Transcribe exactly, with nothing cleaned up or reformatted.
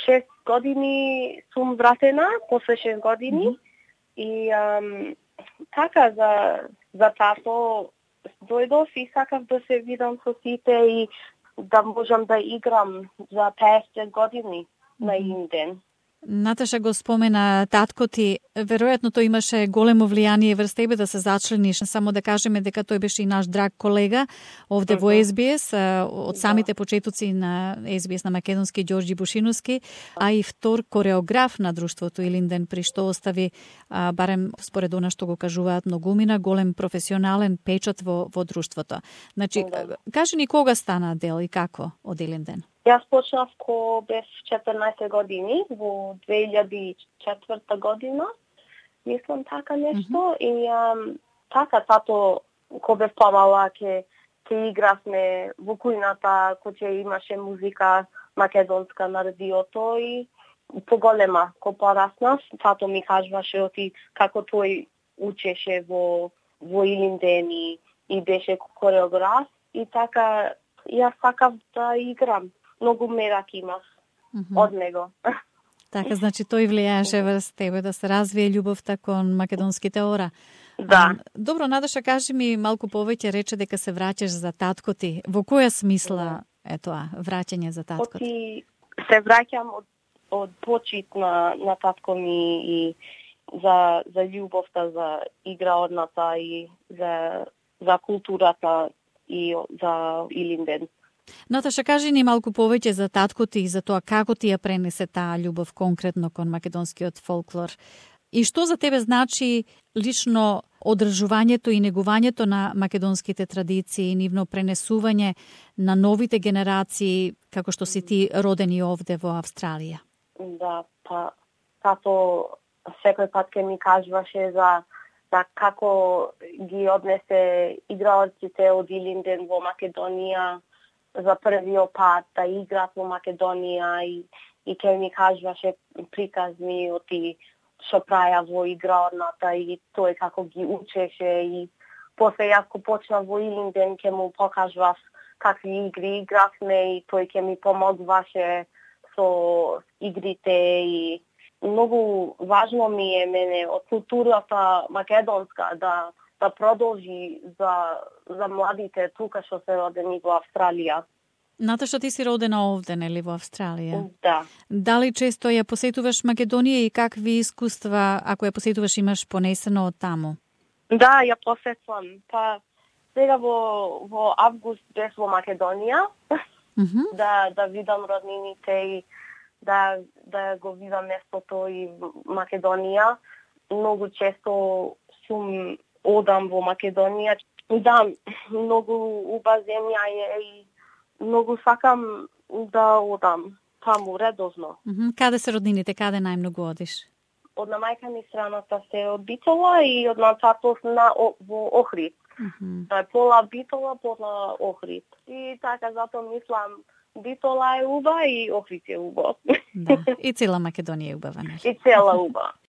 шест години сум вратена, после шест години. Mm-hmm. И ам, така за за тато дојдов и сакав да се видам со сите и да можам да играм за песет години mm-hmm. на Илинден. Наташа го спомена татко ти, веројатно тој имаше големо влијание врз тебе да се зачлениш. Само да кажеме дека тој беше и наш драг колега овде mm-hmm. во Ес Би Ес, од самите почетоци на Ес Би Ес на македонски Ѓорѓи Бушиновски, а и втор кореограф на друштвото Илинден, при што остави, а, барем според она што го кажуваат многумина, голем професионален печат во, во друштвото. Значи, mm-hmm. кажи ни кога стана дел и како од Илинден? Јас почнав ко бев четрнаесет години, во две илјади и четврта година, мислам така нешто, mm-hmm. и ам, така тато, ко бев помала, ке, ке игравме во кујната, кој имаше музика македонска на радиото и поголема, ко пораснав, тато ми кажуваше оти како тој учеше во, во Илинден и, и беше кореограф, и така јас сакав да играм. Многу мерак имав mm-hmm. од него. Така, значи тој влијаеше врз тебе да се развие љубовта кон македонските ора. Да. А, добро, Надоша, кажи ми малку повеќе, рече дека се враќаш за татко ти. Во која смисла е тоа, враќање за татко ти? Оти се враќам од, од почит на, на татко ми и за, за љубовта, за играорната и за, за културата и за Илинден. Наташа, кажи ни малку повеќе за татко ти и за тоа како ти ја пренесе таа љубов конкретно кон македонскиот фолклор. И што за тебе значи лично одржувањето и негувањето на македонските традиции, нивно пренесување на новите генерации, како што си ти родени овде во Австралија? Да, па тато секој пат ке ми кажуваше за да како ги однесе играорците од Илинден во Македонија за првиот пат да играат во Македонија и, и ке ми кажуваше приказни оти што праја во играорната и тој како ги учеше и после јас ко почнав во Илинден ке му покажував какви игри игравме и тој ке ми помогваше со игрите и многу важно ми е мене од културата македонска да да продолжи за за младите тука што се родени во Австралија. Наташа, ти си родена овде, нели, во Австралија? Да. Дали често ја посетуваш Македонија и какви искуства, ако ја посетуваш, имаш понесено од таму? Да, ја посетувам. Па сега во во август бев во Македонија. Mm-hmm. да да видам роднините и да да го видам местото и Македонија. Многу често сум одам во Македонија. Да, многу уба земја е и многу сакам да одам таму редовно. Mm-hmm. Каде се роднините? Каде најмногу одиш? Од на мајка ми страната се од Битола и од на татов на во Охрид. Mm-hmm. Да, пола Битола, пола Охрид. И така затоа мислам Битола е уба и Охрид е уба. Да. И цела Македонија е убава, нели? И цела уба.